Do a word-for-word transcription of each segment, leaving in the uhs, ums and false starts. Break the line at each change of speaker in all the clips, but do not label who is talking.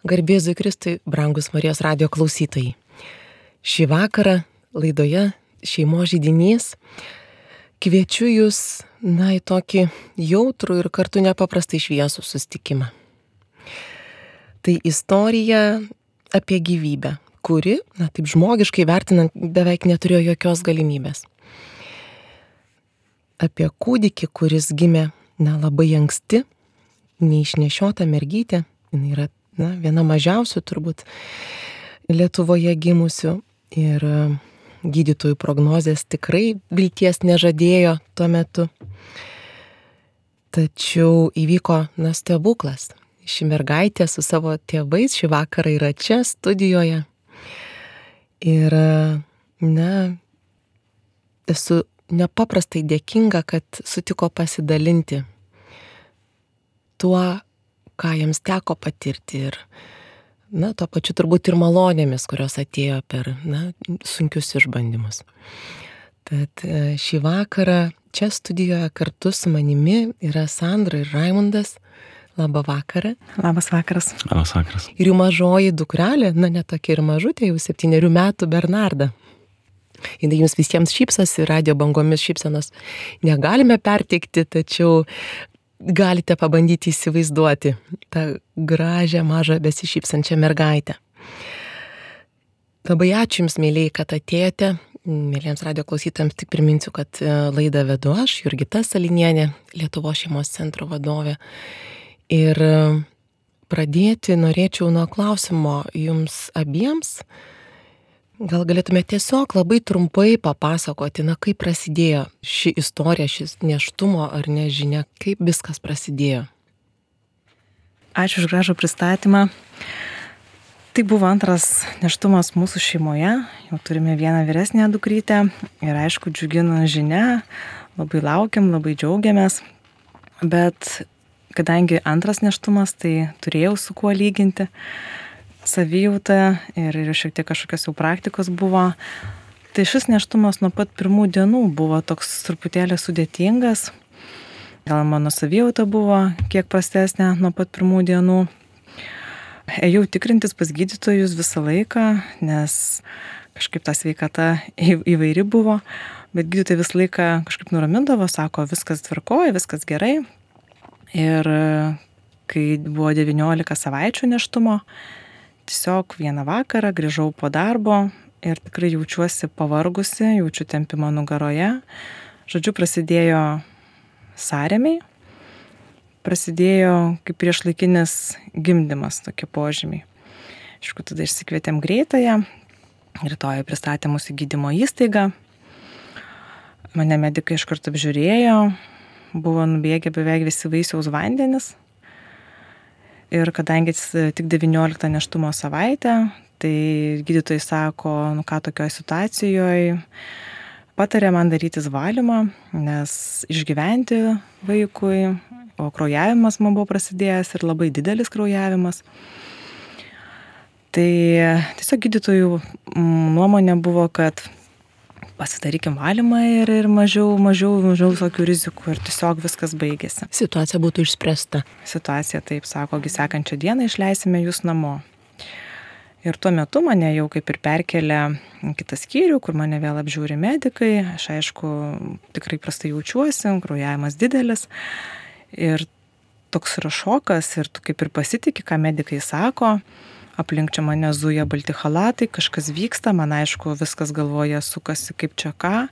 Garbėzui Kristui, brangus Marijos radijo klausytojai. Šį vakarą laidoje Šeimos židinys kviečiu jūs, na, į tokį jautrų ir kartu nepaprastai šviesų susitikimą. Tai istorija apie gyvybę, kuri, na, taip žmogiškai vertinant, beveik neturėjo jokios galimybės. Apie kūdikį, kuris gimė, na, labai anksti, neišnešiota mergytė, jinai yra, na, viena mažiausių turbūt Lietuvoje gimusių ir gydytojų prognozės tikrai vilties nežadėjo tuo metu. Tačiau įvyko, na, stebuklas. Ši mergaitė su savo tėvais šį vakarą yra čia studijoje. Ir, na, esu nepaprastai dėkinga, kad sutiko pasidalinti tuo, ką jiems teko patirti ir, na, tuo pačiu turbūt ir malonėmis, kurios atėjo per, na, sunkius išbandymus. Tad šį vakarą čia studijoje kartu su manimi yra Sandra ir Raimundas. Labą vakarą.
Labas vakaras.
Labas vakaras.
Ir jų mažoji dukrelė, na, ne tokia ir mažutė, jau septynerių metų Bernarda. Jinai jums visiems šypsosi, radijo bangomis šypsenos negalime perteikti, tačiau galite pabandyti įsivaizduoti tą gražią, mažą, besišypsančią mergaitę. Labai ačiū Jums, mėlyjei, kad atėjote. Mėlyjams radijo klausytojams tik priminsiu, kad laidą vedu aš, Jurgita Salinienė, Lietuvos šeimos centro vadovė. Ir pradėti norėčiau nuo klausimo Jums abiems. Gal galėtume tiesiog labai trumpai papasakoti, na, kaip prasidėjo ši istorija, šis nėštumo ar nežinia, kaip viskas prasidėjo.
Ačiū už gražų pristatymą. Tai buvo antras nėštumas mūsų šeimoje. Jau turime vieną vyresnę dukrytę ir aišku, džiugina žinia, labai laukiam, labai džiaugiamės. Bet kadangi antras nėštumas, tai turėjau su kuo lyginti savijautą ir, ir šiek tiek kažkokios jau praktikos buvo. Tai šis nėštumas nuo pat pirmų dienų buvo toks truputėlį sudėtingas. Gal mano savijauta buvo kiek prastesnė nuo pat pirmų dienų. Ėjau tikrintis pas gydytojus visą laiką, nes kažkaip ta sveikata įvairi buvo, bet gydytojai visą laiką kažkaip nuramindavo, sako, viskas tvarkoja, viskas gerai. Ir kai buvo devyniolika savaičių nėštumo, tiesiog vieną vakarą grįžau po darbo ir tikrai jaučiuosi pavargusi, jaučiu tempimą nugaroje. Žodžiu, prasidėjo sąrėmiai, prasidėjo kaip priešlaikinis gimdymas, tokie požymiai. Aišku, tada išsikvietėm greitąją, rytoj pristatė mūsų gydymo įstaigą. Mane medikai iš karto apžiūrėjo, buvo nubėgę beveik visi vaisiaus vandenis. Ir kadangi tik devynioliktą nėštumo savaitę, tai gydytojai sako, nu ką tokioje situacijoje, patarė man darytis valymą, nes išgyventi vaikui, o kraujavimas man buvo prasidėjęs ir labai didelis kraujavimas. Tai tiesiog gydytojų nuomonė buvo, kad pasidarykim valymą ir, ir mažiau, mažiau, mažiau visokių rizikų ir tiesiog viskas baigėsi.
Situacija būtų išspręsta.
Situacija taip, sako, sekančią dieną išleisime jūs namo. Ir tuo metu mane jau kaip ir perkelė kitą skyrių, kur mane vėl apžiūri medikai. Aš aišku, tikrai prastai jaučiuosi, kraujavimas didelis. Ir toks yra šokas ir tu kaip ir pasitiki, ką medikai sako. Aplink čia mane zuja balti chalatai, kažkas vyksta, man aišku, viskas galvoje sukasi kaip čia ką.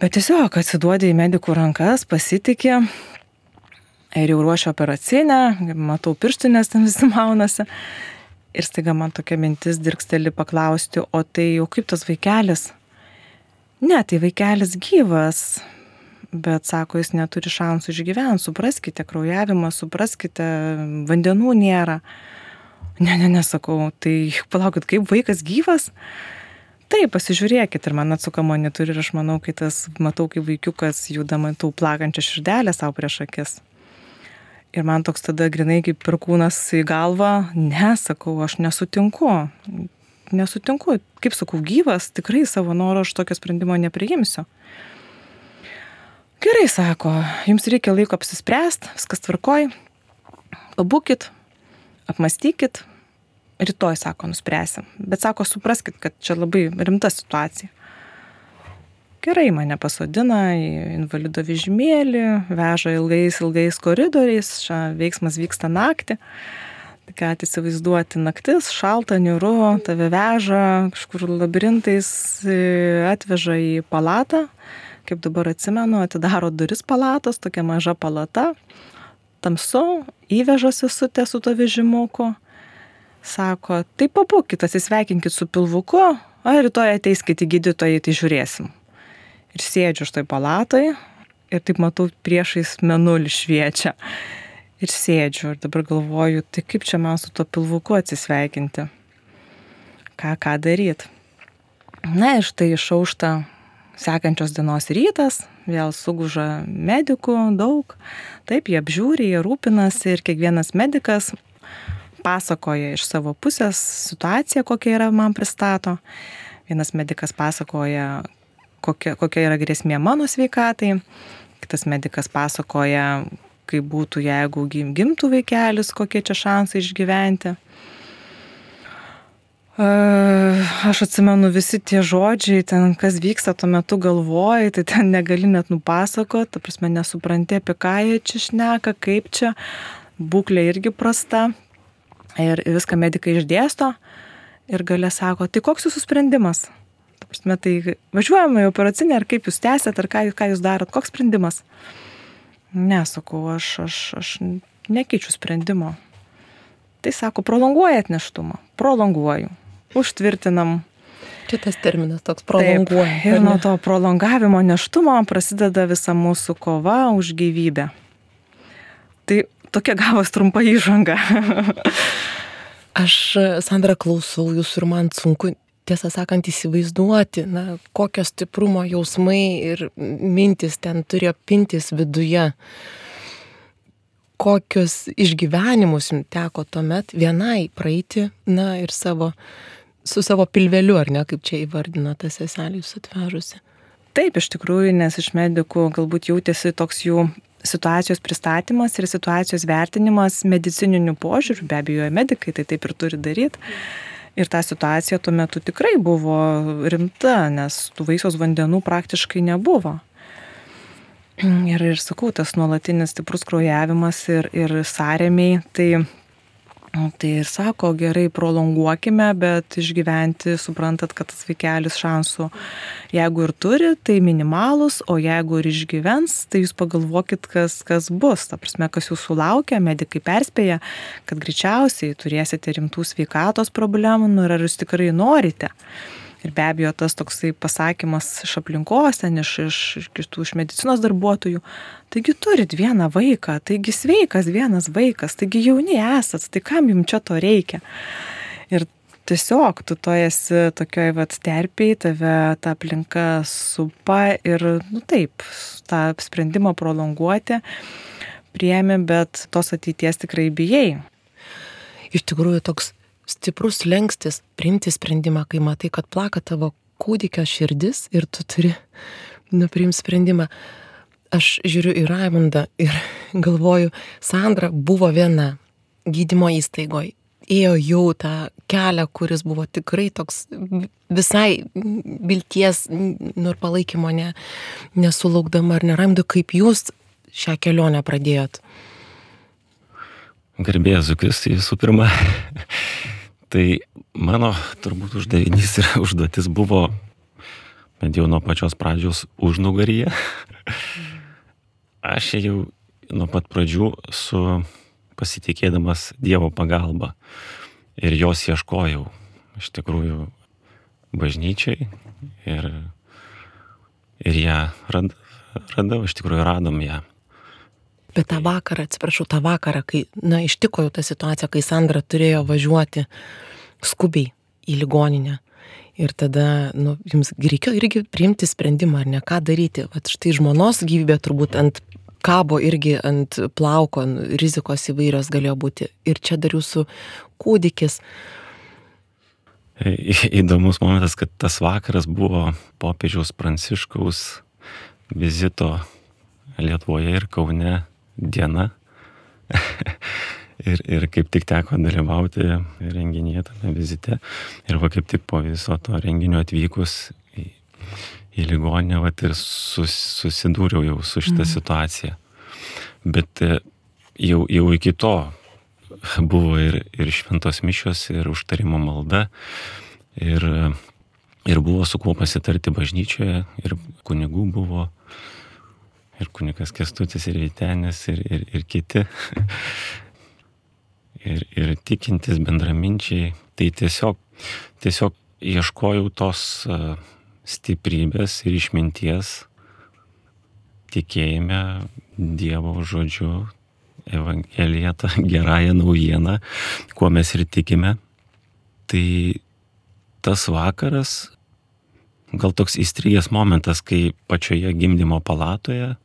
Bet tiesiog atsiduodė į medikų rankas, pasitiki ir jau ruošia operacinę, matau pirštinės ten visi maunasi. Ir staiga man tokia mintis dirgsteli paklausti, o tai jau kaip tas vaikelis? Ne, tai vaikelis gyvas, bet sako, jis neturi šansų išgyventi, supraskite kraujavimą, supraskite, vandenų nėra. Ne, ne, nesakau, tai palaukit, kaip vaikas gyvas? Taip, pasižiūrėkit ir man atsuka monitorių ir aš manau, kai tas matau, kaip vaikiukas juda, matau plakančią širdelę savo prieš akis. Ir man toks tada grinai kaip perkūnas į galvą, ne, sakau, aš nesutinku, nesutinku, kaip sakau, gyvas, tikrai savo noro aš tokio sprendimo nepriimsiu. Gerai, sako, jums reikia laiko apsispręsti, viskas tvarkoj, pabūkit. apmastykit, rytoj, sako, nuspręsim. Bet sako, supraskit, kad čia labai rimta situacija. Gerai, mane pasodina į invalido vežimėlį, veža ilgais, ilgais koridoriais, čia veiksmas vyksta naktį. Tai ką įsivaizduoti, naktis, šalta, niūru, tave veža, kažkur labirintais atveža į palatą. Kaip dabar atsimenu, atidaro duris palatos, tokia maža palata. Tamsu, įveža sesutę su to vežimuku. Sako, tai pabūkit, atsisveikinkit su pilvuku, o rytoj ateiskit į gydytoją, tai žiūrėsim. Ir sėdžiu štai palatoj ir taip matau priešais mėnulį šviečia. Ir sėdžiu ir dabar galvoju, tai kaip čia man su to pilvuku atsisveikinti? Ką, ką daryt? Na ir štai išaušta sekančios dienos rytas, vėl suguža medikų daug. Taip, jie apžiūri, jie rūpinasi ir kiekvienas medikas pasakoja iš savo pusės situaciją, kokia yra man pristato. Vienas medikas pasakoja, kokia, kokia yra grėsmė mano sveikatai. Kitas medikas pasakoja, kaip būtų, jeigu gimtų vaikelis, kokie čia šansai išgyventi. Aš atsimenu visi tie žodžiai, ten kas vyksta tuo metu galvoji, tai ten negali net nupasakot, ta prasme nesupranti, apie ką jie čia šneka, kaip čia, būklė irgi prasta. Ir viską medikai išdėsto ir gale sako, tai koks jūsų sprendimas? Ta prasme, tai važiuojame į operacinę, ar kaip jūs tęsėt, ar ką, ką jūs darot, koks sprendimas? Nesakau, aš, aš, aš nekeičiu sprendimo. Tai sako, prolonguojat nėštumą, prolonguoju, užtvirtinam.
Čia tas terminas toks prolonguoja.
Taip, ir nuo to prolongavimo nėštumo prasideda visa mūsų kova už gyvybę. Tai tokia gavos trumpa įžanga.
Aš, Sandra, klausau jūsų ir man sunku, tiesą sakant, įsivaizduoti, na, kokio stiprumo jausmai ir mintis ten turėjo pintis viduje. Kokius išgyvenimus jums teko tuomet vienai praeiti, na, ir savo, su savo pilveliu, ar ne, kaip čia įvardino ta seselė jūs atvežusi.
Taip, iš tikrųjų, nes iš medikų galbūt jautėsi toks jų situacijos pristatymas ir situacijos vertinimas medicininiu požiūriu, be abejo, medikai tai taip ir turi daryti. Ir ta situacija tuo metu tikrai buvo rimta, nes tų vaisiaus vandenų praktiškai nebuvo. Ir, ir sakau, tas nuolatinis stiprus kraujavimas ir, ir sąrėmiai, tai, tai ir sako, gerai, prolonguokime, bet išgyventi, suprantat, kad tas vaikelis šansų, jeigu ir turi, tai minimalus, o jeigu ir išgyvens, tai jūs pagalvokit, kas, kas bus. Ta prasme, kas jūsų laukia, medikai perspėja, kad greičiausiai turėsite rimtų sveikatos problemų, nu, ir ar jūs tikrai norite. Ir be abejo, tas toksai pasakymas iš aplinkos, ten iš, iš, iš kitų iš medicinos darbuotojų, taigi turit vieną vaiką, taigi sveikas vienas vaikas, taigi jauni esat, tai kam jums čia to reikia? Ir tiesiog tu to esi tokioj vat terpėj, tave ta aplinka supa ir, nu taip, tą sprendimą prolonguoti priėmė, bet tos ateities tikrai bijai.
Iš tikrųjų toks stiprus slenkstis priimti sprendimą, kai matai, kad plaka tavo kūdikio širdis ir tu turi nupriimti sprendimą. Aš žiūriu į Raimundą ir galvoju, Sandra buvo viena gydymo įstaigoje, ėjo jau tą kelią, kuris buvo tikrai toks visai vilties, nu ir palaikymo ne, nesulaukdama, ar ne, Raimundu, kaip jūs šią kelionę pradėjot?
Garbės Kristui visų pirma. Tai mano turbūt uždavinys ir užduotis buvo, bent jau nuo pačios pradžios, užnugaryje. Aš jau nuo pat pradžių su pasitikėdamas Dievo pagalba ir jos ieškojau iš tikrųjų bažnyčiai ir, ir ją rad, radau, iš tikrųjų radom ją.
Bet tą vakarą, atsiprašau, tą vakarą, kai, na, ištiko jau ta situacija, kai Sandra turėjo važiuoti skubiai į ligoninę. Ir tada, nu, jums reikėjo irgi priimti sprendimą, ar ne, ką daryti. Vat štai žmonos gyvybė turbūt ant kabo irgi ant plauko, rizikos įvairios galėjo būti. Ir čia dar jūsų kūdikis.
Įdomus momentas, kad tas vakaras buvo popiežiaus Pranciškaus vizito Lietuvoje ir Kaune diena. Ir, ir kaip tik teko dalyvauti renginyje, tame vizite. Ir va kaip tik po viso to renginio atvykus į, į ligoninę, va ir sus, susidūriau jau su šitą situaciją. Bet jau, jau iki to buvo ir, ir šventos mišios, ir užtarimo malda, ir, ir buvo su kuo pasitarti bažnyčioje, ir kunigų buvo, ir kunigas Kęstutis, ir Vytenis, ir, ir, ir kiti. ir, ir tikintis bendraminčiai. Tai tiesiog, tiesiog ieškojau tos uh, stiprybės ir išminties tikėjime Dievo žodžiu, Evangelija, ta gerąją naujieną, kuo mes ir tikime. Tai tas vakaras, gal toks įstrigęs momentas, kai pačioje gimdymo palatoje,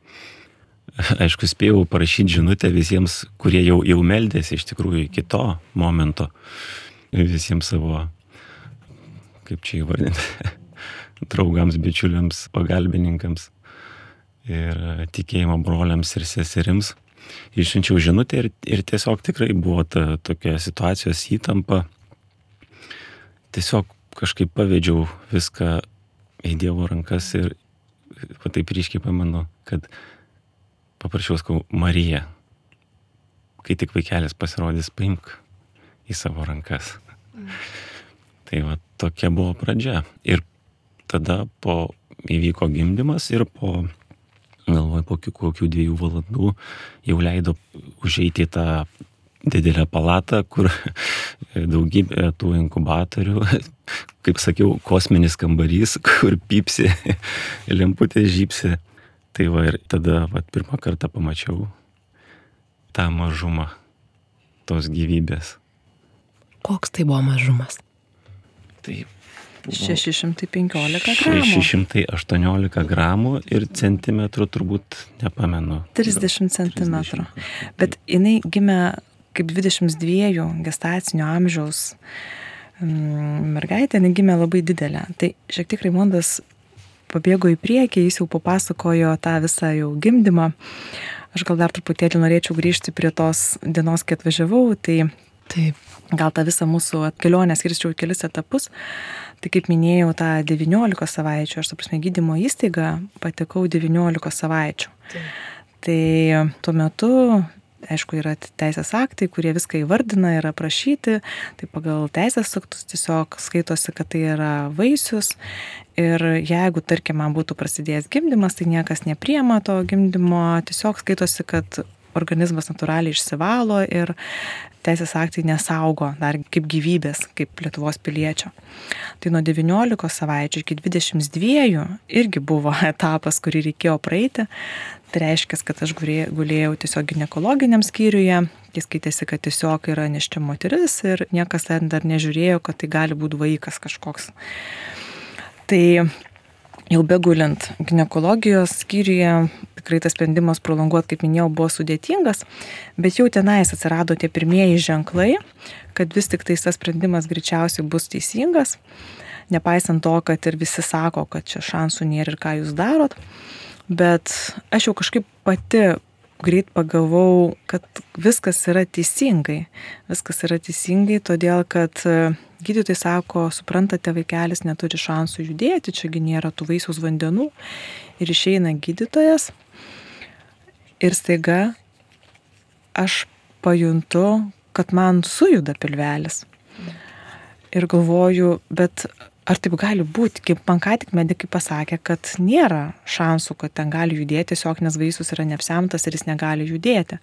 aišku, spėjau parašyti žinutę visiems, kurie jau, jau meldėsi iš tikrųjų iki to momento, visiems savo, kaip čia įvardinti, draugams, bičiuliams, pagalbininkams ir tikėjimo broliams ir seserims. Išsiunčiau žinutę ir, ir tiesiog tikrai buvo ta tokia situacijos įtampa. Tiesiog kažkaip pavedžiau viską į Dievo rankas ir va taip ryškiai pamenu, kad paprašiau, sakau, Marija, kai tik vaikelis pasirodys, paimk į savo rankas. Mm. Tai va tokia buvo pradžia. Ir tada po įvyko gimdymas ir po, galvoju, po kokių dviejų valandų jau leido užeiti į tą didelę palatą, kur daugybė tų inkubatorių, kaip sakiau, kosminis kambarys, kur pypsi, lemputė žypsi. Tai va ir tada va, pirmą kartą pamačiau tą mažumą tos gyvybės.
Koks tai buvo mažumas?
Tai
šeši šimtai penkiolika gramų.
šeši šimtai aštuoniolika gramų ir centimetrų turbūt nepamenu.
trisdešimt centimetrų. Bet jinai gimė kaip dvidešimt dviejų gestacinio amžiaus mergaitė, jinai gimė labai didelė. Tai šiek tiek Raimondas pabėgo į priekį, jis jau papasakojo tą visą jau gimdymą. Aš gal dar truputėlį norėčiau grįžti prie tos dienos, kai atvažiavau, tai
Taip.
Gal tą visą mūsų kelionę skirčiau į kelis etapus. Tai kaip minėjau, tą devyniolikos savaičių, aš, ta prasme, gydymo įstaigą patekau devyniolikos savaičių. Taip. Tai tuo metu, aišku, yra teisės aktai, kurie viską įvardina ir aprašyti. Tai pagal teisės aktus tiesiog skaitosi, kad tai yra vaisius. Ir jeigu, tarkim, man būtų prasidėjęs gimdymas, tai niekas nepriema to gimdymo. Tiesiog skaitosi, kad organizmas natūraliai išsivalo ir teisės aktai nesaugo dar kaip gyvybės, kaip Lietuvos piliečio. Tai nuo devyniolikos savaičių iki dvidešimt dviejų irgi buvo etapas, kurį reikėjo praeiti. Tai reiškia, kad aš gulėjau tiesiog ginekologiniam skyriuje. Jis skaitėsi, kad tiesiog yra nėščia moteris ir niekas ten dar nežiūrėjo, kad tai gali būti vaikas kažkoks. Tai jau begulint ginekologijos skyriuje, tikrai tas sprendimas prolonguoti, kaip minėjau, buvo sudėtingas, bet jau tenais atsirado tie pirmieji ženklai, kad vis tik tai tas sprendimas greičiausiai bus teisingas, nepaisant to, kad ir visi sako, kad čia šansų nėra ir ką jūs darot, bet aš jau kažkaip pati greit pagalvojau, kad viskas yra teisingai. Viskas yra teisingai, todėl kad gydytojai sako, suprantate, vaikelis neturi šansų judėti, čiagi nėra tų vaisiaus vandenų. Ir išeina gydytojas ir staiga aš pajuntu, kad man sujuda pilvelis. Ir galvoju, bet ar taip gali būti, kaip man ką tik medikai pasakė, kad nėra šansų, kad ten gali judėti, tiesiog nes vaisius yra neapsemtas ir jis negali judėti.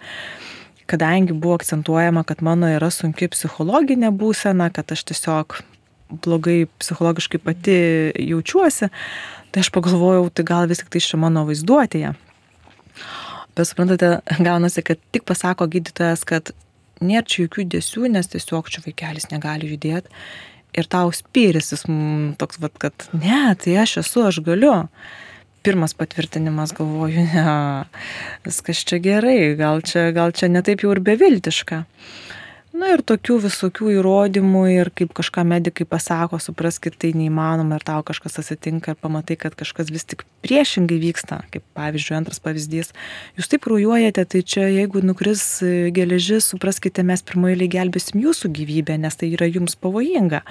Kadangi buvo akcentuojama, kad mano yra sunki psichologinė būsena, kad aš tiesiog blogai psichologiškai pati jaučiuosi, tai aš pagalvojau, tai gal vis tik tai čia mano vaizduotėje. Bet suprantate, gaunasi, kad tik pasako gydytojas, kad nėra čia jokių judesių, nes tiesiog čia vaikelis negali judėti. Ir tau spyris jis toks, vat, kad ne, tai aš esu, aš galiu. Pirmas patvirtinimas, galvoju, ne, viskas čia gerai, gal čia, gal čia ne taip jau ir beviltiška. Na ir tokių visokių įrodymų ir kaip kažką medikai pasako, supraskit, tai neįmanoma ir tau kažkas atsitinka ir pamatai, kad kažkas vis tik priešingai vyksta, kaip pavyzdžiui, antras pavyzdys. Jūs taip kraujuojate, tai čia jeigu nukris geležis, supraskite, mes pirmoje eilėje gelbėsim jūsų gyvybę, nes tai yra jums pavojinga.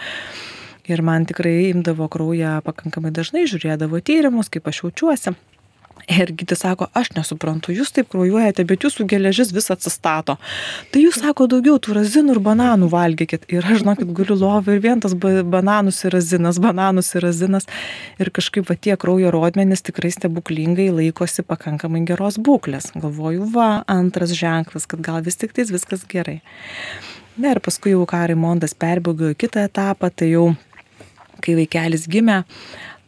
Ir man tikrai imdavo kraują pakankamai dažnai, žiūrėdavo tyrimus, kaip aš jaučiuosi. Ir gydytojas sako, aš nesuprantu, jūs taip kraujuojate, bet jūsų geležis vis atsistato. Tai jūs, sako, daugiau tų razinų ir bananų valgykit. Ir aš, žinokit, guliu lovą ir vien tas bananus ir razinas, bananus ir razinas. Ir kažkaip va tie kraujo rodmenys tikrai stebuklingai laikosi pakankamai geros būklės. Galvoju, va, antras ženklas, kad gal vis tik tais viskas gerai. Na ir paskui jau ką Raimondas perbėgo į kitą etapą, tai jau, kai vaikelis gimė,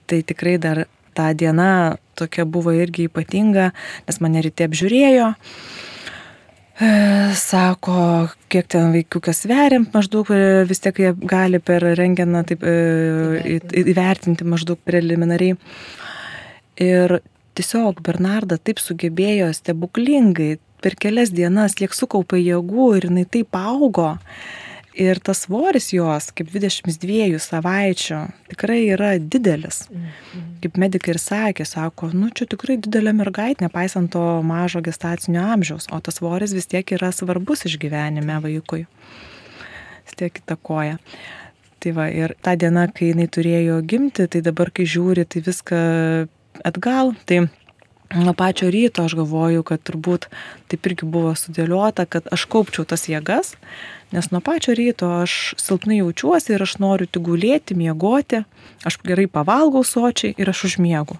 tai tikrai dar ta diena tokia buvo irgi ypatinga, nes mane ryte apžiūrėjo, e, sako, kiek ten vaikiukas sveria, maždaug vis tiek jie gali per rengeną taip, e, įvertinti maždaug preliminariai. Ir tiesiog Bernarda taip sugebėjo stebuklingai per kelias dienas, kiek sukaupė jėgų ir jinai taip augo. Ir tas svoris jos, kaip dvidešimt dviejų savaičių, tikrai yra didelis. Kaip medikai ir sakė, sako, nu čia tikrai didelė mergaitė, nepaisant to mažo gestacinio amžiaus, o tas svoris vis tiek yra svarbus išgyvenime vaikui. Vis tiek įtakoja. Tai va, ir ta diena, kai jinai turėjo gimti, tai dabar, kai žiūri, tai viską atgal, tai nuo pačio ryto aš galvoju, kad turbūt taip irgi buvo sudėliota, kad aš kaupčiau tas jėgas, nes nuo pačio ryto aš silpnai jaučiuosi ir aš noriu tik gulėti, miegoti, aš gerai pavalgau sočiai ir aš užmiegu.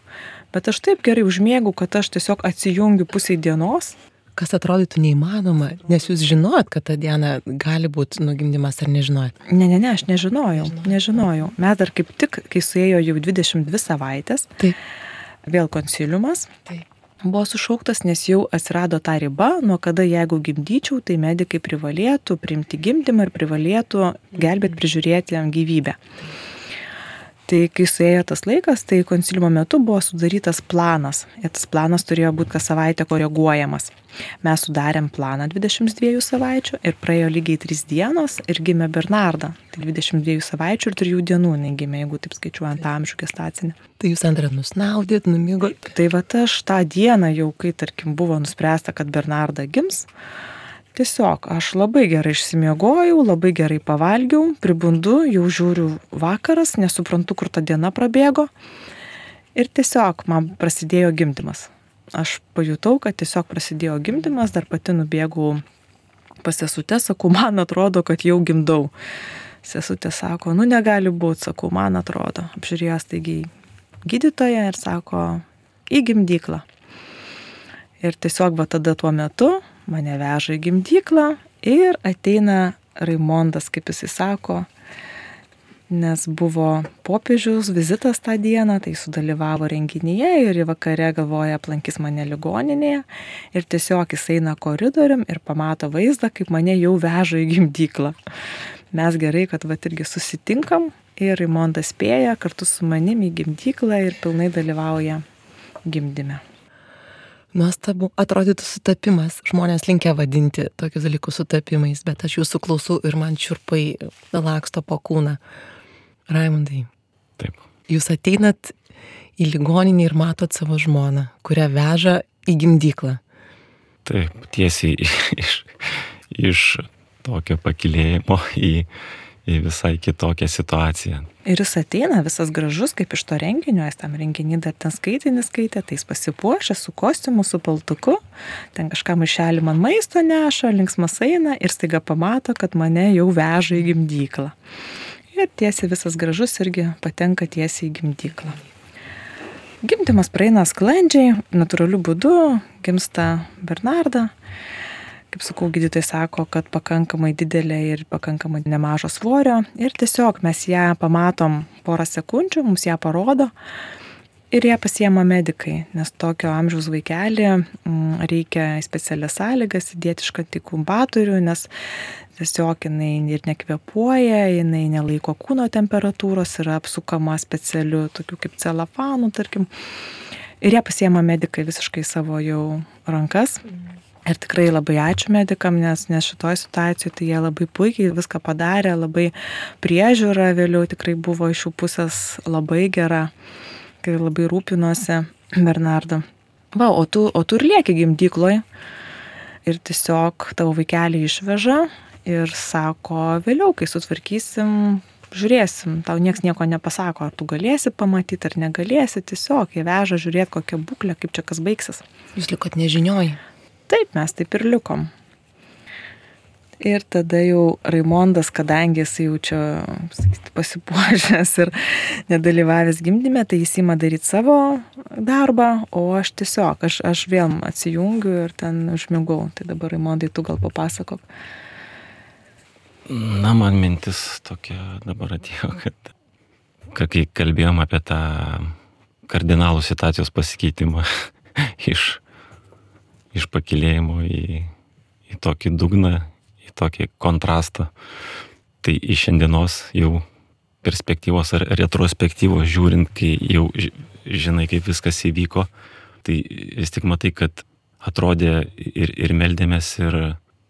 Bet aš taip gerai užmiegu, kad aš tiesiog atsijungiu pusiai dienos.
Kas atrodytų neįmanoma, nes jūs žinojot, kad tą dieną gali būti nugimdymas ar nežinojot?
Ne, ne, ne, aš nežinojau, nežinojau. Mes dar kaip tik, kai suėjo jau dvidešimt dvi savaitės,
Taip.
Vėl konsiliumas.
Taip.
Buvo sušauktas, nes jau atsirado ta riba, nuo kada jeigu gimdyčiau, tai medikai privalėtų priimti gimdymą ir privalėtų gelbėti, prižiūrėti jam gyvybę. Tai kai suėjo tas laikas, tai konsiliumo metu buvo sudarytas planas. Ir tas planas turėjo būti kas savaitę koreguojamas. Mes sudarėm planą dvidešimt dviejų savaičių ir praėjo lygiai trys dienos ir gimė Bernarda. Tai dvidešimt dviejų savaičių ir trijų dienų jinai gimė, jeigu taip skaičiuojant amžių gestacinį.
Tai jūs antrą nusnaudėt, numigot.
Tai va aš tą dieną jau, kai tarkim buvo nuspręsta, kad Bernarda gims, tiesiog aš labai gerai išsimiegojau, labai gerai pavalgiau, pribundu, jau žiūriu vakaras, nesuprantu, kur ta diena prabėgo ir tiesiog man prasidėjo gimdymas. Aš pajutau, kad tiesiog prasidėjo gimdymas, dar pati nubėgau pas sesutę, sakau, man atrodo, kad jau gimdau. Sesutė sako, nu negali būti, sakau, man atrodo. Apžiūrėjo staigiai gydytoją ir sako, į gimdyklą. Ir tiesiog va tada tuo metu mane veža į gimdyklą ir ateina Raimondas, kaip jisai sako, nes buvo popiežiaus vizitas tą dieną, tai sudalyvavo renginyje ir vakare galvoja aplankys mane ligoninėje ir tiesiog jis eina koridorium ir pamato vaizdą, kaip mane jau veža į gimdyklą. Mes gerai, kad va irgi susitinkam ir Raimondas spėja kartu su manim į gimdyklą ir pilnai dalyvauja gimdyme.
Nuostabu, atrodytų sutapimas. Žmonės linkę vadinti tokius dalykus sutapimais, bet aš jūsų klausau ir man čiurpai laksto po kūną. Raimundai,
Taip.
jūs ateinat į ligoninį ir matot savo žmoną, kurią veža į gimdyklą.
Taip, tiesiai iš, iš tokio pakilėjimo į, į visai kitokią situaciją.
Ir jis ateina visas gražus, kaip iš to renginio, jis tam renginį dar ten skaitinį skaitė, tai jis pasipuošė su kostiumu, su paltuku, ten kažką maišelį man maisto neša, linksmas eina ir staiga pamato, kad mane jau veža į gimdyklą. Ir tiesiai visas gražus irgi patenka tiesiai į gimdyklą. Gimdymas praeina sklandžiai, natūraliu būdu, gimsta Bernarda. Kaip sakau, gydytojai sako, kad pakankamai didelė ir pakankamai nemažo svorio. Ir tiesiog mes ją pamatom porą sekundžių, mums ją parodo ir ją pasiema medikai, nes tokio amžiaus vaikelį reikia specialias sąlygas įdėti iš inkubatorių, nes tiesiog jinai ir nekvėpuoja, jinai nelaiko kūno temperatūros, yra apsukama specialiu tokiu kaip celofanu, tarkim. Ir ją pasiema medikai visiškai savo jau rankas. Ir tikrai labai ačiū medikam, nes, nes šitoj situacijoje tai jie labai puikiai viską padarė, labai priežiūra vėliau tikrai buvo iš jų pusės labai gera, kai labai rūpinosi Bernardą. Va, o tu, o tu ir lieki gimdykloj ir tiesiog tavo vaikelį išveža ir sako, vėliau, kai sutvarkysim, žiūrėsim, tau nieks nieko nepasako, ar tu galėsi pamatyti, ar negalėsi, tiesiog jie veža žiūrėti kokią būklę, kaip čia kas baigsis.
Jūs likot nežinioj.
Taip, mes taip ir likom. Ir tada jau Raimondas, kadangi jis jau čia sakyti, pasipuošęs ir nedalyvavęs gimdyme, tai jis įma daryti savo darbą, o aš tiesiog, aš, aš vėl atsijungiu ir ten užmigau. Tai dabar Raimondai, tu gal papasakok.
Na, man mintis tokia dabar atėjo, kad kai kalbėjom apie tą kardinalų situacijos pasikeitimą iš iš pakilėjimo į, į tokį dugną, į tokį kontrastą. Tai iš šiandienos jau perspektyvos ar retrospektyvos žiūrint, kai jau žinai, kaip viskas įvyko, tai vis tik matai, kad atrodė ir, ir meldėmės, ir,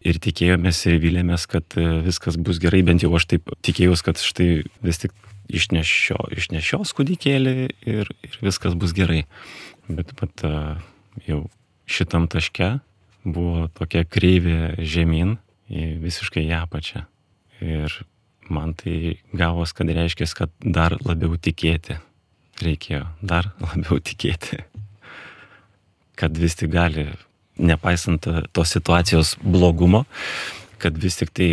ir tikėjomės, ir vilėmės, kad viskas bus gerai, bent jau aš taip tikėjausi, kad štai vis tik išnešio, išnešios kūdikėlį ir, ir viskas bus gerai. Bet pat jau šitam taške buvo tokia kreivė žemyn į visiškai ją apačią. Ir man tai gavos, kad reiškia, kad dar labiau tikėti reikėjo, dar labiau tikėti. Kad vis tik gali, nepaisant tos situacijos blogumo, kad vis tik tai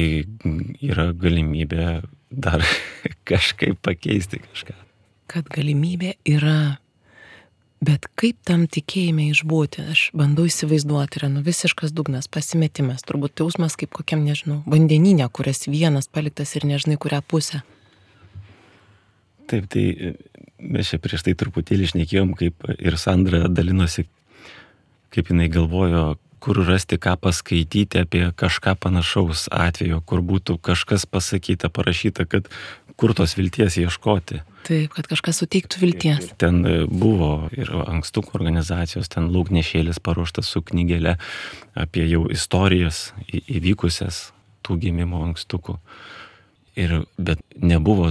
yra galimybė dar kažkaip pakeisti kažką.
Kad galimybė yra. Bet kaip tam tikėjime išbūti? Aš bandau įsivaizduoti, yra nu visiškas dugnas, pasimetimas, turbūt jausmas kaip kokiam, nežinau, vandenyne, kurias vienas paliktas ir nežinai kurią pusę.
Taip, tai mes čia prieš tai truputėlį šnekėjom, kaip ir Sandra dalinosi, kaip jinai galvojo, kur rasti ką paskaityti apie kažką panašaus atveju, kur būtų kažkas pasakyta, parašyta, kad kur tos vilties ieškoti.
Taip, kad kažkas suteiktų vilties.
Ten buvo ir ankstukų organizacijos, ten Laugnešėlis paruoštas su knygelė apie jau istorijas įvykusias tų gimimo ankstukų. Ir, bet nebuvo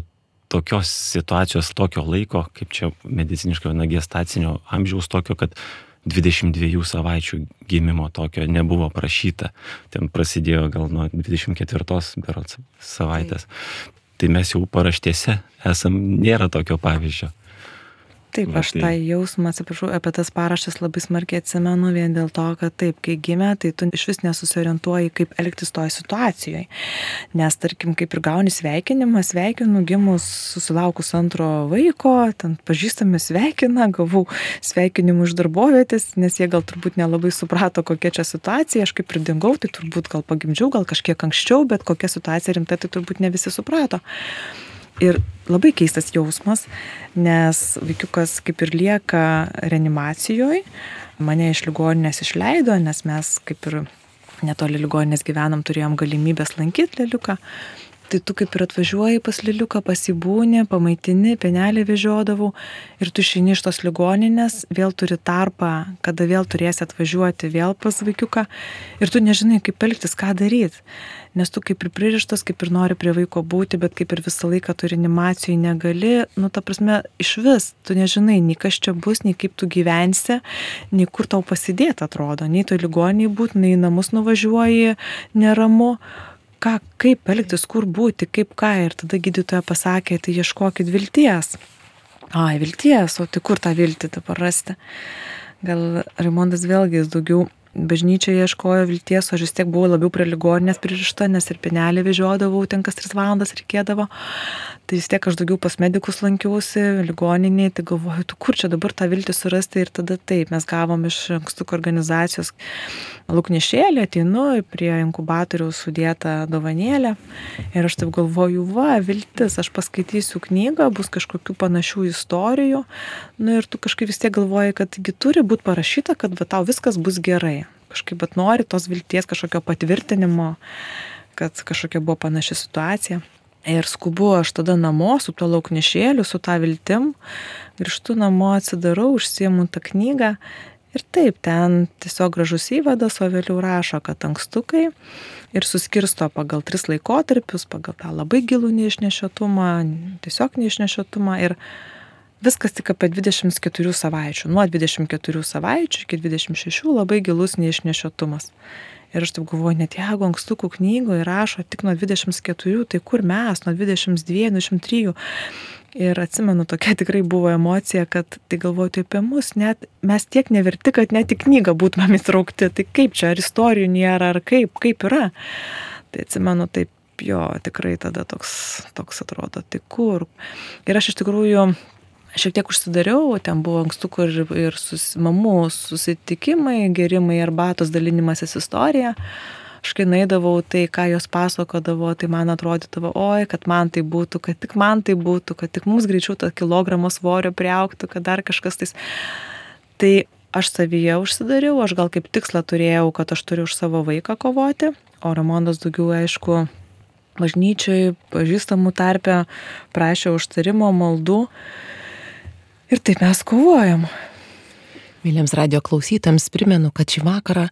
tokios situacijos, tokio laiko, kaip čia mediciniškai na, gestacinio amžiaus tokio, kad dvidešimt dviejų savaičių gimimo tokio nebuvo prašyta. Ten prasidėjo gal nuo dvidešimt ketvirtos berods savaitės. Taip. Tai mes jau paraštėse esam, nėra tokio pavyzdžio.
Taip, aš tą jausmą, atsiprašau, apie tas paraštes labai smarkiai atsimenu vien dėl to, kad taip, kai gimė, tai tu iš vis nesusiorientuoji, kaip elgtis toje situacijoje. Nes, tarkim, kaip ir gauni sveikinimą, sveikinu gimus susilaukus antro vaiko, ten pažįstami sveikina, gavau sveikinimų iš darbovietės, nes jie gal turbūt nelabai suprato, kokia čia situacija, aš kaip pridingau, tai turbūt gal pagimdžiau, gal kažkiek anksčiau, bet kokia situacija rimta, tai turbūt ne visi suprato. Ir labai keistas jausmas, nes vaikiukas kaip ir lieka reanimacijoje, mane iš ligoninės išleido, nes mes kaip ir netoli ligoninės gyvenam, turėjom galimybės lankyti Leliuką. Tai tu kaip ir atvažiuoji pas Leliuką, pasibūni, pamaitini, pienelį vežiodavau ir tu išeini iš tos ligoninės, vėl turi tarpą, kada vėl turėsi atvažiuoti vėl pas vaikiuką ir tu nežinai, kaip elgtis, ką daryti. Nes tu kaip ir pririštas, kaip ir nori prie vaiko būti, bet kaip ir visą laiką tu reanimacijai negali, nu ta prasme, iš vis, tu nežinai, nei kas čia bus, nei kaip tu gyvensi, nei kur tau pasidėti atrodo, nei tu ligoniai būt, nei namus nuvažiuoji, neramu. Ką, kaip elgtis, kur būti, kaip ką. Ir tada gydytoja pasakė, tai ieškokit vilties. Ai, vilties, o tai kur tą viltį dabar rasti? Gal Raimondas vėlgi jis daugiau bažnyčioje ieškojo vilties, o aš vis tiek buvau labiau prie ligoninės pririšta, nes ir pienelį vežiodavau, ten kas tris valandas reikėdavo. Tai vis tiek aš daugiau pas medikus lankiausi, ligoninėje, tai galvoju, tu kur čia dabar tą viltį surasti ir tada taip, mes gavom iš ankstukų organizacijos Laugnešėlį, ateinu prie inkubatoriaus sudėtą dovanėlę ir aš taip galvoju, va, viltis, aš paskaitysiu knygą, bus kažkokių panašių istorijų, nu ir tu kažkaip vis tiek galvoji, kad taigi turi būti parašyta, kad va, tau viskas bus gerai. Kažkaip bet nori tos vilties, kažkokio patvirtinimo, kad kažkokia buvo panaši situacija. Ir skubu aš tada namo su tuo Laugnešėliu, su tą viltim, grįžtu namo, atsidarau, užsiemu tą knygą Ir taip, ten tiesiog gražus įvadas, o vėliau rašo, kad ankstukai ir suskirsto pagal tris laikotarpius, pagal tą labai gilų neišnešiotumą, tiesiog neišnešiotumą ir viskas tik apie dvidešimt keturių savaičių. Nuo dvidešimt keturių savaičių iki dvidešimt šešių labai gilus neišnešiotumas. Ir aš taip galvoju, net jeigu ankstukų knygoje rašo tik nuo dvidešimt keturių, tai kur mes, nuo dvidešimt dviejų, dvidešimt trijų. Ir atsimenu, tokia tikrai buvo emocija, kad tai galvoju, tai apie mus, net mes tiek neverti, kad net į knygą būtumėm įtraukti. Tai kaip čia, ar istorijų nėra, ar kaip, kaip yra. Tai atsimenu, taip jo, tikrai tada toks, toks atrodo, tai kur. Ir aš iš tikrųjų šiek tiek užsidariau, ten buvo ankstukų ir, ir sus, mamų susitikimai, gerimai, arbatos dalinimasis istorija. Aš kai naidavau, tai ką jos pasakodavo, tai man atrodydavo, oi, kad man tai būtų, kad tik man tai būtų, kad tik mums greičiau tą kilogramą svorio priaugtų, kad dar kažkas tais. Tai aš savyje užsidariau, aš gal kaip tikslą turėjau, kad aš turiu už savo vaiką kovoti, o Raimondas daugiau, aišku, bažnyčioj, pažįstamų tarpe prašė užtarimo, maldų. Ir taip mes kovojam.
Myliems radijo klausytams primenu, kad šį vakarą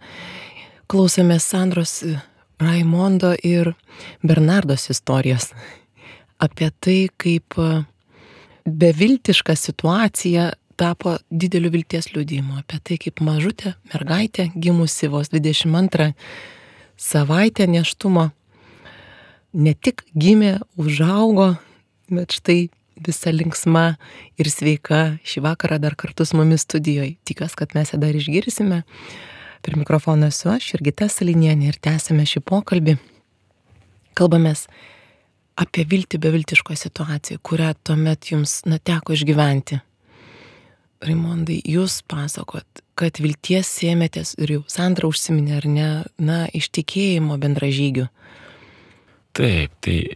klausėmės Sandros, Raimondo ir Bernardos istorijos apie tai, kaip beviltiška situacija tapo dideliu vilties liudijimu, apie tai, kaip mažutė mergaitė gimusi vos dvidešimt antrą savaitę nėštumo ne tik gimė, užaugo, bet štai visa linksma ir sveika šį vakarą dar kartu su mumis studijoje. Tikiuosi, kad mes ją dar išgirsime. Prie mikrofono esu aš, Jurgita Salinienė, ir tęsime šį pokalbį. Kalbamės apie viltį beviltiško situaciją, kurią tuomet jums na, teko išgyventi. Raimondai, jūs pasakot, kad vilties sėmėtės ir jau Sandra užsiminė, ar ne, na, iš tikėjimo bendražygių.
Taip, tai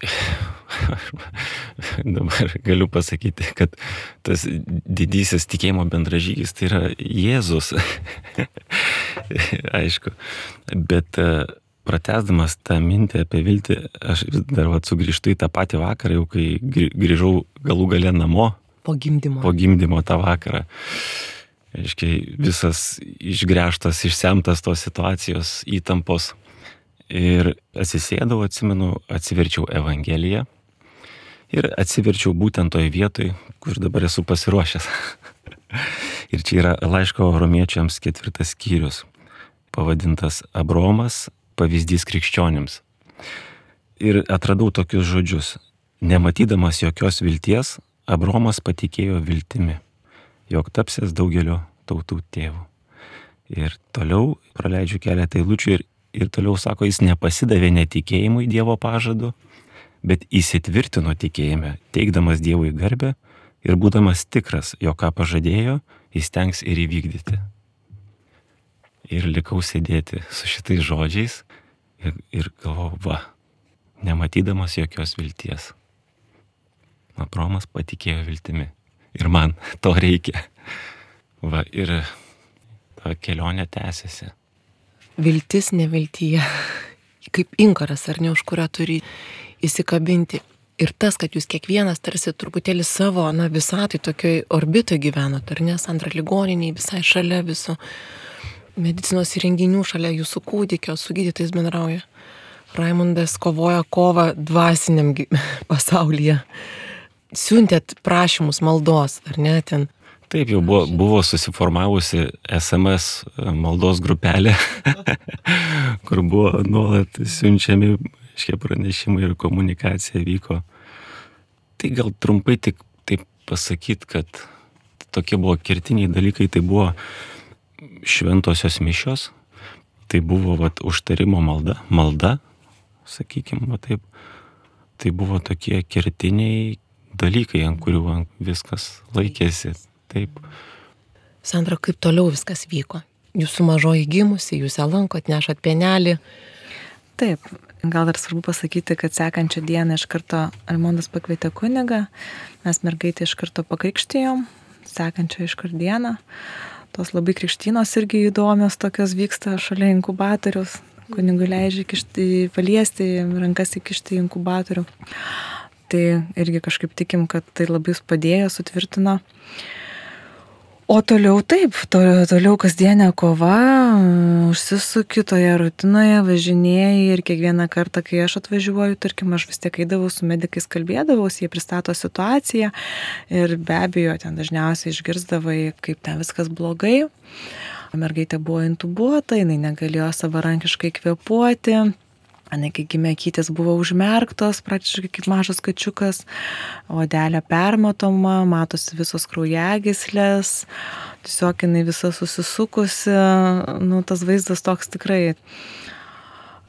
dabar galiu pasakyti, kad tas didysis tikėjimo bendražygis tai yra Jėzus. Aišku, bet pratęsdamas tą mintį apie viltį, aš dar vat sugrįžtu į tą patį vakarą, jau kai grįžau galų gale namo.
Po gimdymo.
Po gimdymo tą vakarą. Aiškiai, visas išgręžtas, išsemtas tos situacijos, įtampos. Ir atsisėdau, atsimenu, atsiverčiau Evangeliją ir atsiverčiau būtent toj vietoj, kur dabar esu pasiruošęs. Ir čia yra laiško romiečiams ketvirtas skyrius, pavadintas Abraomas, pavyzdys krikščionims. Ir atradau tokius žodžius. Nematydamas jokios vilties, Abraomas patikėjo viltimi, jog tapsės daugelio tautų tėvų. Ir toliau praleidžiu keletą eilučių ir Ir toliau sako, jis nepasidavė netikėjimui Dievo pažadu, bet įsitvirtino tikėjime, teikdamas Dievui garbę ir būdamas tikras, jog ką pažadėjo, jis tengs ir įvykdyti. Ir likau sėdėti su šitais žodžiais ir, ir galvojau, va, nematydamas jokios vilties. Abraomas patikėjo viltimi. Ir man to reikia. Va, ir ta kelionė tęsiasi.
Viltis neviltyje, kaip inkaras, ar ne, už kurią turi įsikabinti. Ir tas, kad jūs kiekvienas tarsi truputėlį savo, na, visatai tokioj orbitoje gyvenot, ar ne, Sandra ligoniniai, visai šalia visų medicinos įrenginių, šalia jūsų kūdikio, su gydytais bendrauja. Raimondas kovoja kovą dvasiniam pasaulyje. Siuntėt prašymus maldos, ar ne, ten.
Taip, jau buvo, buvo susiformavusi S M S maldos grupelė, kur buvo nuolat siunčiami šie pranešimai ir komunikacija vyko. Tai gal trumpai tik taip pasakyti, kad tokie buvo kertiniai dalykai, tai buvo šventosios mišios, tai buvo vat, užtarimo malda, malda, sakykime, va taip, tai buvo tokie kertiniai dalykai, ant kurių viskas laikėsi. Taip.
Sandra, kaip toliau viskas vyko? Jūsų mažoji gimusi, jūs ją lankot, nešat pienelį.
Taip, gal dar svarbu pasakyti, kad sekančią dieną iš karto Raimondas pakvietė kunigą, mes mergaitę iš karto pakrikštijom, sekančią iš karto dieną. Tos labai krikštynos irgi įdomios tokios vyksta šalia inkubatoriaus, kunigui leidžia kišti, paliesti, rankas įkišti į inkubatorių. Tai irgi kažkaip tikim, kad tai labai padėjo, sutvirtino. O toliau taip, toliau, toliau kasdienė kova, užsisuki toje rutinoje, važinėjai ir kiekvieną kartą, kai aš atvažiuoju, tarkim, aš vis tiek eidavau su medikais, kalbėdavausi, jie pristato situaciją ir be abejo, ten dažniausiai išgirsdavai, kaip ten viskas blogai. Mergaitė buvo intubuota, jinai negalėjo savarankiškai kvėpuoti. Anai, kai gimė kytės, buvo užmerktos, praktiškai kaip mažas kačiukas, odelė permatoma, matosi visos kraujagyslės, tiesiog jinai visa susisukusi, nu, tas vaizdas toks tikrai.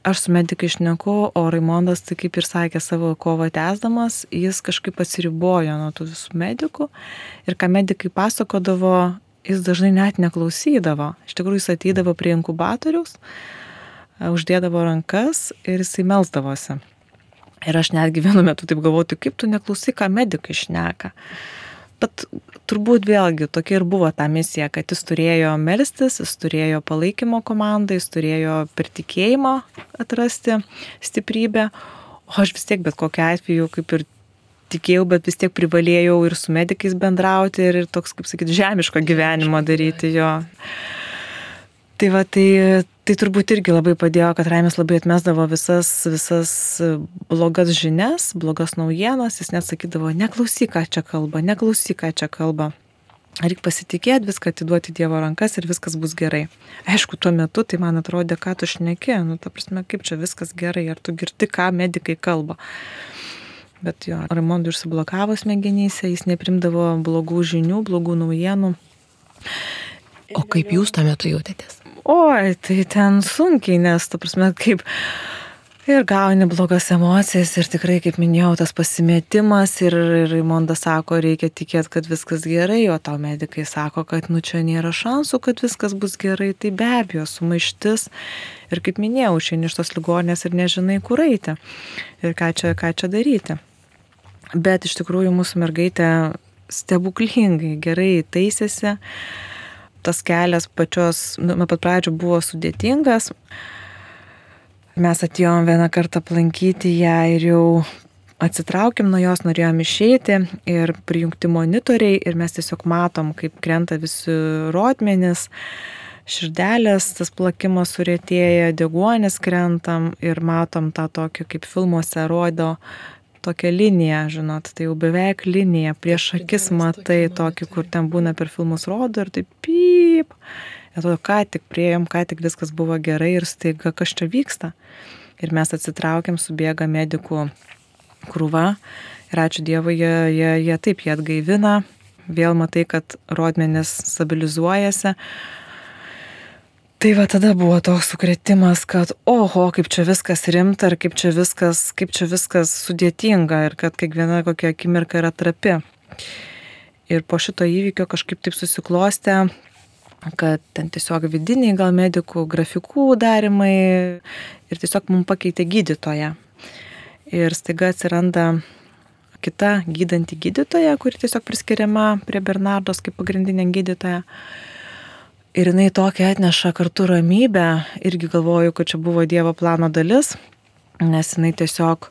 Aš su medikai šneku, o Raimondas, tai kaip ir sakė, savo kovą tęsdamas, jis kažkaip atsiribojo nuo tų visų medikų ir ką medikai pasakodavo, jis dažnai net neklausydavo. Iš tikrųjų, jis ateidavo prie inkubatoriaus, uždėdavo rankas ir jisai melsdavosi. Ir aš netgi vienu metu taip galvoju, kaip tu neklausai, ką medikai šneka. Bet turbūt vėlgi tokia ir buvo ta misija, kad jis turėjo melstis, jis turėjo palaikymo komandą, jis turėjo per tikėjimą atrasti stiprybę, o aš vis tiek bet kokiu atveju kaip ir tikėjau, bet vis tiek privalėjau ir su medikais bendrauti ir toks, kaip sakyti, žemiško gyvenimo daryti jo. Tai va, tai, tai turbūt irgi labai padėjo, kad Raimis labai atmesdavo visas, visas blogas žinias, blogas naujienas, jis net sakydavo, neklausyk, ką čia kalba, neklausyk, ką čia kalba. Reikia pasitikėti, viską atiduoti Dievo rankas ir viskas bus gerai. Aišku, tuo metu tai man atrodė, ką tu šneki, nu, ta prasme, kaip čia viskas gerai, ar tu girdi, ką medikai kalba. Bet jo, Raimondui užsiblokavo smegenyse, jis neprimdavo blogų žinių, blogų naujienų.
O kaip jūs tuo metu jautėtės?
Oi, tai ten sunkiai, nes, ta prasme, kaip ir gauni blogas emocijas ir tikrai, kaip minėjau, tas pasimetimas ir Raimondas sako, reikia tikėti, kad viskas gerai, o tau medikai sako, kad nu čia nėra šansų, kad viskas bus gerai, tai be abejo, sumaištis ir kaip minėjau, išeini iš tos ligoninės ir nežinai, kur eiti ir ką čia, ką čia daryti. Bet iš tikrųjų mūsų mergaitė stebuklingai gerai taisėsi. Tas kelias pačios, nuo pat pradžių buvo sudėtingas. Mes atėjom vieną kartą aplankyti ją ir jau atsitraukėm nuo jos, norėjom išeiti ir prijungti monitoriai ir mes tiesiog matom, kaip krenta visi rodmenys, širdelės, tas plakimas surėtėja, deguonis krentam ir matom tą tokį, kaip filmuose rodo, tokia linija, žinot, tai jau beveik linija, prieš akis matai tokį, kur ten būna per filmus rodo ir tai pyp. Atrodo, ką tik priėjom, ką tik viskas buvo gerai ir staiga, kas čia vyksta. Ir mes atsitraukiam, subėga medikų krūva ir ačiū Dievui, jie, jie, jie taip, jie atgaivina, vėl matai, kad rodmenys stabilizuojasi. Tai va tada buvo toks sukrėtimas, kad oho, kaip čia viskas rimta ir kaip čia viskas, kaip čia viskas sudėtinga ir kad kiekviena kokia akimirka yra trapi. Ir po šito įvykio kažkaip taip susiklostė, kad ten tiesiog vidiniai gal medikų grafikų darimai ir tiesiog mums pakeitė gydytoją. Ir staiga atsiranda kita gydanti gydytoja, kuri tiesiog priskiriama prie Bernardos kaip pagrindinė gydytoja. Ir jinai tokia atneša kartu ramybę, irgi galvoju, kad čia buvo Dievo plano dalis, nes jinai tiesiog,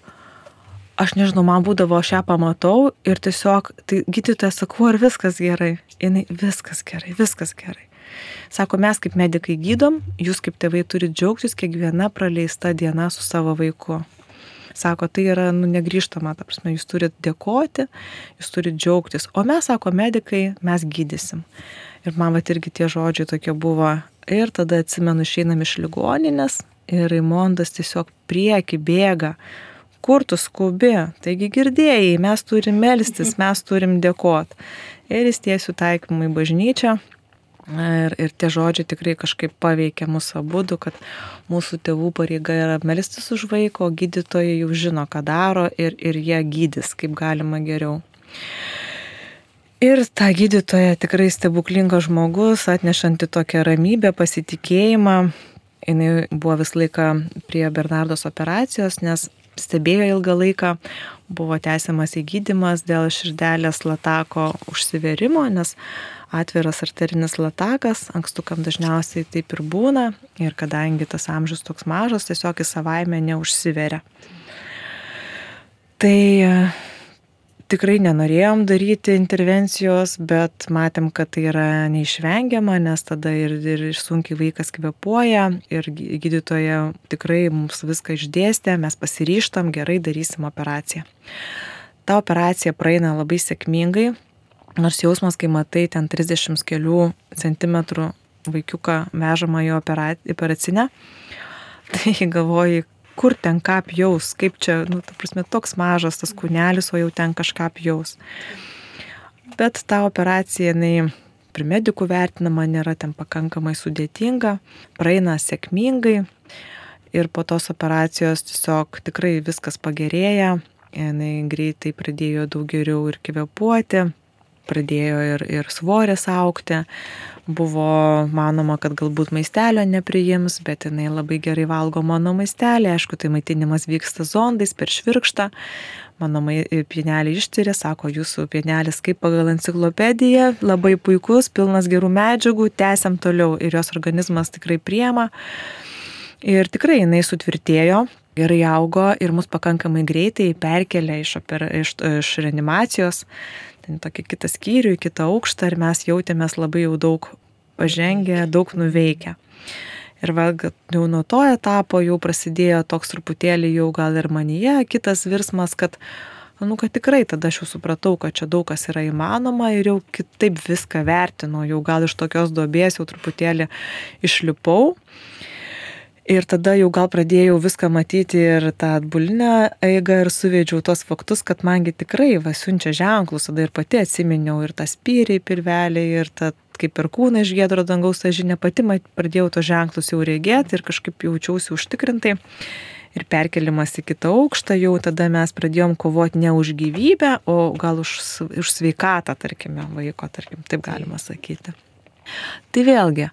aš nežinau, man būdavo, aš ją pamatau ir tiesiog, tai gydytoja sakau, ar viskas gerai? Jinai, viskas gerai, viskas gerai. Sako, mes kaip medikai gydom, jūs kaip tėvai turite džiaugtis kiekviena praleista diena su savo vaiku. Sako, tai yra nu, negrįžtama, ta prasme, jūs turite dėkoti, jūs turite džiaugtis, o mes, sako, medikai, mes gydysim. Ir man vat irgi tie žodžiai tokie buvo. Ir tada atsimenu, išeinam iš ligoninės ir Raimondas tiesiog prieki bėga. Kur tu skubi? Taigi girdėjai, mes turim melstis, mes turim dėkot. Ir jis tiesiu taikymą į bažnyčią. Ir, ir tie žodžiai tikrai kažkaip paveikia mūsų abudu, kad mūsų tėvų pareiga yra melstis už vaiko, o gydytojai jau žino, ką daro ir, ir jie gydys, kaip galima geriau. Ir ta gydytoja tikrai stebuklingas žmogus, atnešanti tokią ramybę, pasitikėjimą. Jis buvo visą laiką prie Bernardos operacijos, nes stebėjo ilgą laiką, buvo tęsiamas įgydymas dėl širdelės latako užsiverimo, nes atviras arterinis latakas, ankstukam dažniausiai taip ir būna ir kadangi tas amžius toks mažas, tiesiog į savaime neužsiveria. Tai tikrai nenorėjom daryti intervencijos, bet matėm, kad tai yra neišvengiama, nes tada ir, ir sunkiai vaikas kvėpuoja ir gydytoja tikrai mums viską išdėstė, mes pasiryštam, gerai darysim operaciją. Ta operacija praeina labai sėkmingai, nors jausmas, kai matai ten trisdešimt kelių centimetrų vaikiuką vežamą į operacinę, tai galvoji, kur ten ką pjaus, kaip čia, nu, ta prasme, toks mažas tas kūnelis, o jau ten kažką pjaus. Bet ta operacija, jinai prie medikų vertinama, nėra ten pakankamai sudėtinga, praeina sėkmingai ir po tos operacijos tiesiog tikrai viskas pagerėja, jinai greitai pradėjo daug geriau ir kvėpuoti, pradėjo ir, ir svoris augti, buvo manoma, kad galbūt maistelio nepriims, bet jinai labai gerai valgo mano maistelį, aišku, tai maitinimas vyksta zondais per švirkštą, mano pienelį ištyrė, sako, jūsų pienelis kaip pagal enciklopediją, labai puikus, pilnas gerų medžiagų, tęsiam toliau ir jos organizmas tikrai priema ir tikrai jinai sutvirtėjo, gerai augo ir mus pakankamai greitai perkelė iš, iš, iš reanimacijos, tokį kitą skyrių, į kitą aukštą ir mes jautėmės labai jau daug pažengę, daug nuveikę. Ir va, jau nuo to etapo jau prasidėjo toks truputėlį jau gal ir manyje kitas virsmas, kad, nu, kad tikrai tada aš jau supratau, kad čia daug kas yra įmanoma ir jau kitaip viską vertinu, jau gal iš tokios duobės jau truputėlį išlipau. Ir tada jau gal pradėjau viską matyti ir tą atbulinę eigą ir suvedžiau tos faktus, kad mangi tikrai va siunčia ženklus, tada ir pati atsiminiau ir tą spyrį pirvelį, ir tą kaip perkūną iš giedro dangaus tą žinią, pati pradėjau tos ženklus jau regėti ir kažkaip jaučiausi užtikrintai. Ir perkelimas į kitą aukštą, jau tada mes pradėjom kovoti ne už gyvybę, o gal už, už sveikatą, tarkime, vaiko, tarkim, taip galima sakyti. Tai vėlgi,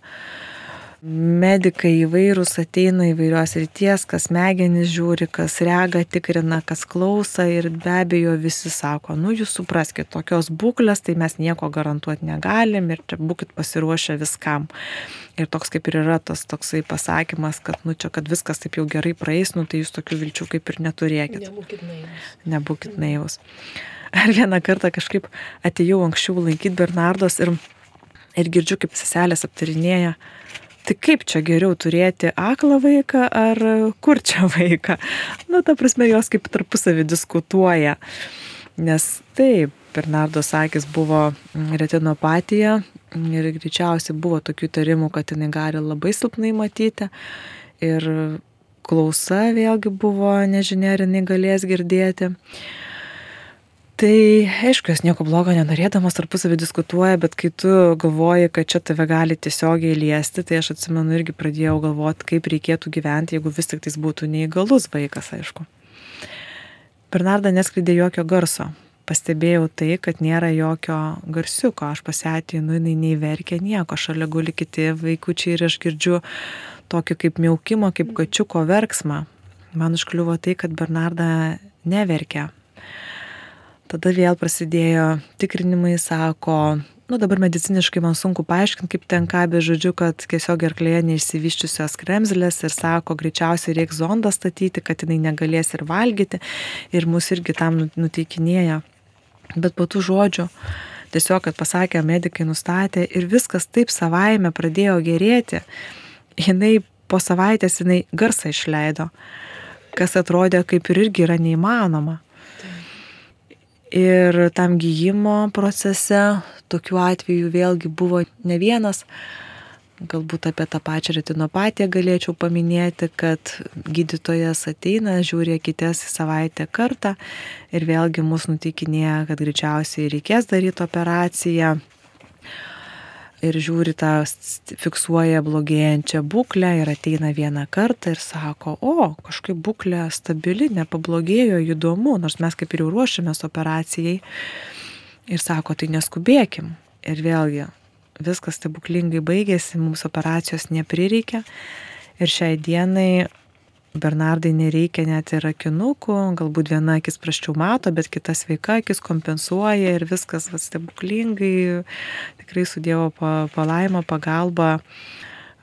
medikai įvairūs ateina įvairios ryties, kas smegenis žiūri, kas regą tikrina, kas klauso ir be abejo visi sako, nu jūs supraskit, tokios būklės, tai mes nieko garantuoti negalim ir čia būkit pasiruošę viskam. Ir toks kaip ir yra tas toksai pasakymas, kad nu čia, kad viskas taip jau gerai praeis, nu tai jūs tokių vilčių kaip ir neturėkit.
Nebūkit naivus.
Nebūkit naivus. Ar vieną kartą kažkaip atėjau anksčiau lankyti Bernardos ir, ir girdžiu, kaip seselės aptarinėja, tai kaip čia geriau turėti aklą vaiką ar kur čia vaiką? Nu, ta prasme, jos kaip tarpusavį diskutuoja. Nes taip, Bernardos akis buvo retinopatija ir greičiausiai buvo tokių tarimų, kad jinai gali labai silpnai matyti. Ir klausa vėlgi buvo, nežinia, ar jinai galės girdėti. Tai, aišku, jos nieko blogo nenorėdamas tarpusavį diskutuoja, bet kai tu galvoji, kad čia tave gali tiesiogiai liesti, tai aš atsimenu irgi pradėjau galvoti, kaip reikėtų gyventi, jeigu vis tik tais būtų neįgalus vaikas, aišku. Bernarda neskleidė jokio garso. Pastebėjau tai, kad nėra jokio garsiuko. Aš pasieteinu, jinai nei verkia nieko, šalia guli kiti vaikučiai ir aš girdžiu tokį kaip miaukimo, kaip kačiuko verksmą. Man užkliuvo tai, kad Bernarda neverkia. Tada vėl prasidėjo tikrinimai, sako, nu dabar mediciniškai man sunku paaiškinti, kaip ten ką, bet žodžiu, kad tiesiog gerklėje neišsivyščiusios kremzlės ir sako, greičiausiai reiks zondą statyti, kad jinai negalės ir valgyti ir mus irgi tam nuteikinėja. Bet po tų žodžių tiesiog, kad pasakė, medikai nustatė ir viskas taip savaime pradėjo gerėti. Jinai po savaitės jinai garsą išleido, kas atrodė kaip ir irgi yra neįmanoma. Ir tam gyjimo procese tokių atvejų vėlgi buvo ne vienas. Galbūt apie tą pačią retinopatiją galėčiau paminėti, kad gydytojas ateina, žiūri akis į savaitę kartą ir vėlgi mus nuteikinėja, kad greičiausiai reikės daryti operaciją. Ir žiūri tą, fiksuoja blogėjančią būklę ir ateina vieną kartą ir sako, o, kažkaip būklė stabili, nepablogėjo, įdomu, nors mes kaip ir jau ruošiamės operacijai. Ir sako, tai neskubėkim. Ir vėlgi, viskas stebuklingai baigėsi, mums operacijos neprireikė. Ir šiai dienai Bernardai nereikia net ir akinukų, galbūt viena akis prasčiau mato, bet kita sveika akis kompensuoja ir viskas va, stebuklingai, tikrai su Dievo palaima, pagalba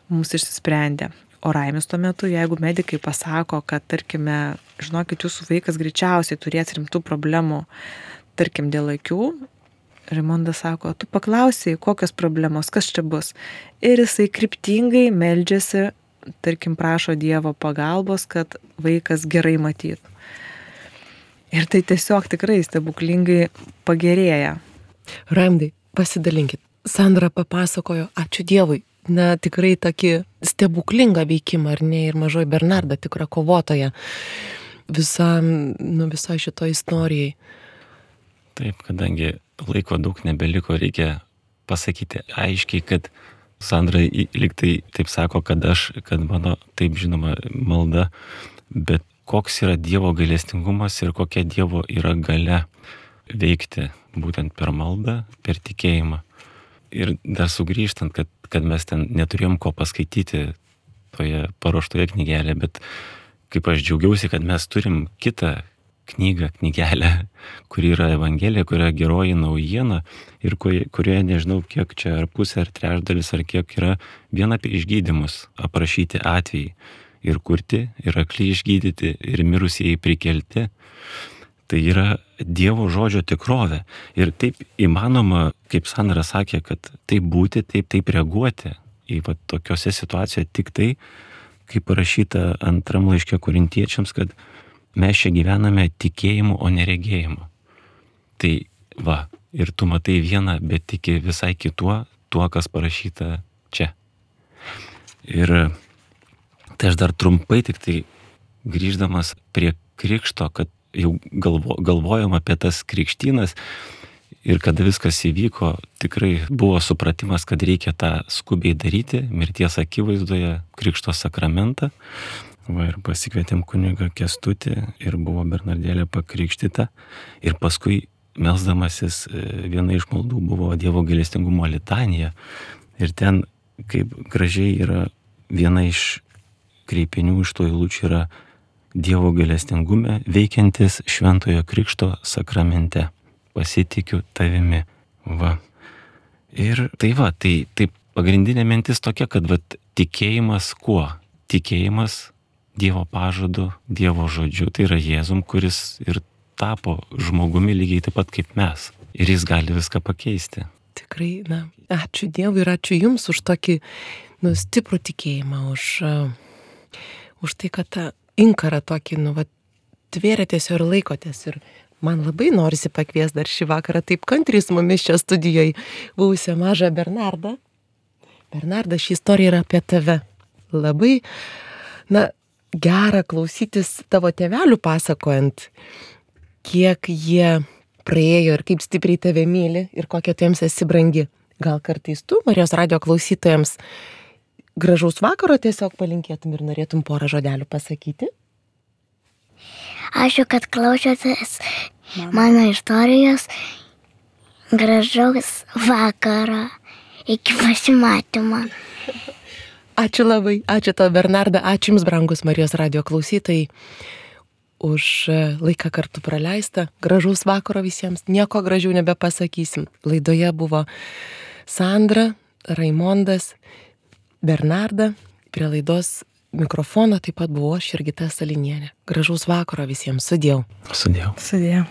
mums išsisprendė. O Raimis tuo metu, jeigu medikai pasako, kad tarkime, žinokit, jūsų vaikas greičiausiai turės rimtų problemų, tarkim, dėl akių, Raimondas sako, tu paklausai, kokios problemos, kas čia bus. Ir jisai kryptingai meldžiasi, tarkim, prašo Dievo pagalbos, kad vaikas gerai matytų. Ir tai tiesiog tikrai stebuklingai pagerėja.
Raimundai, pasidalinkit. Sandra papasakojo, ačiū Dievui, na tikrai tokį stebuklingą veikimą, ar ne, ir mažoji Bernarda tikra kovotoja visam, nu, visai šito istorijai.
Taip, kadangi laiko daug nebeliko, reikia pasakyti aiškiai, kad Sandra liktai taip sako, kad aš, kad mano, taip žinoma, malda, bet koks yra Dievo gailestingumas ir kokia Dievo yra galia veikti būtent per maldą, per tikėjimą. Ir dar sugrįžtant, kad, kad mes ten neturėjom ko paskaityti toje paruoštoje knygelėje, bet kaip aš džiaugiausi, kad mes turim kitą knygą, knygelę, kuri yra Evangelija, kuri yra geroji naujiena ir kurioje nežinau kiek čia ar pusė, ar trečdalis, ar kiek yra vien apie išgydymus aprašyti atvejai ir kurti, ir akli išgydyti, ir mirusieji prikelti. Tai yra Dievo žodžio tikrovė. Ir taip įmanoma, kaip Sandra sakė, kad taip būti, taip, taip reaguoti į va, tokiose situacijose tik tai, kaip parašyta antram laiške Korintiečiams, kad mes čia gyvename tikėjimu, o neregėjimu. Tai va, ir tu matai vieną, bet tiki visai kituo, tuo, kas parašyta čia. Ir tai aš dar trumpai tik tai grįždamas prie krikšto, kad jau galvo, galvojom apie tas krikštynas ir kada viskas įvyko, tikrai buvo supratimas, kad reikia tą skubiai daryti, mirties akivaizdoje, krikšto sakramentą. Va, ir pasikvietėm kunigą Kęstutį ir buvo Bernardėlė pakrikštyta. Ir paskui melsdamasis viena iš maldų buvo Dievo gailestingumo litanija. Ir ten, kaip gražiai yra viena iš kreipinių iš to eilučių yra Dievo gailestingume veikiantis šventojo krikšto sakramente. Pasitikiu tavimi. Va. Ir tai va, tai, tai pagrindinė mintis tokia, kad va, tikėjimas kuo? Tikėjimas Dievo pažadu, Dievo žodžiu, tai yra Jėzum, kuris ir tapo žmogumi lygiai taip pat kaip mes. Ir jis gali viską pakeisti.
Tikrai, na, ačiū Dievui ir ačiū Jums už tokį, nu, stiprų tikėjimą, už, uh, už tai, kad tą inkarą tokį, nu, va, tvėrėtės ir laikotės. Ir man labai norisi pakviesti dar šį vakarą taip kantriai su mumis čia studijoje buvusią mažą Bernardą. Bernarda, ši istorija yra apie tave. Labai, na, gera klausytis tavo tėvelių pasakojant, kiek jie praėjo ir kaip stipriai tave myli ir kokia tu jiems esi brangi. Gal kartais tu, Marijos radijo klausytojams, gražaus vakaro tiesiog palinkėtum ir norėtum porą žodelių pasakyti?
Ačiū, kad klausėtės mano istorijos. Gražaus vakaro. Iki pasimatymo.
Ačiū labai, ačiū tau Bernarda, ačiū Jums, brangus Marijos radijo klausytojai, už laiką kartu praleistą. Gražaus vakaro visiems, nieko gražiau nebepasakysim. Laidoje buvo Sandra, Raimondas, Bernarda, prie laidos mikrofono taip pat buvo aš, Jurgita Salinienė. Gražaus vakaro visiems, sudiev.
Sudiev.
Sudiev.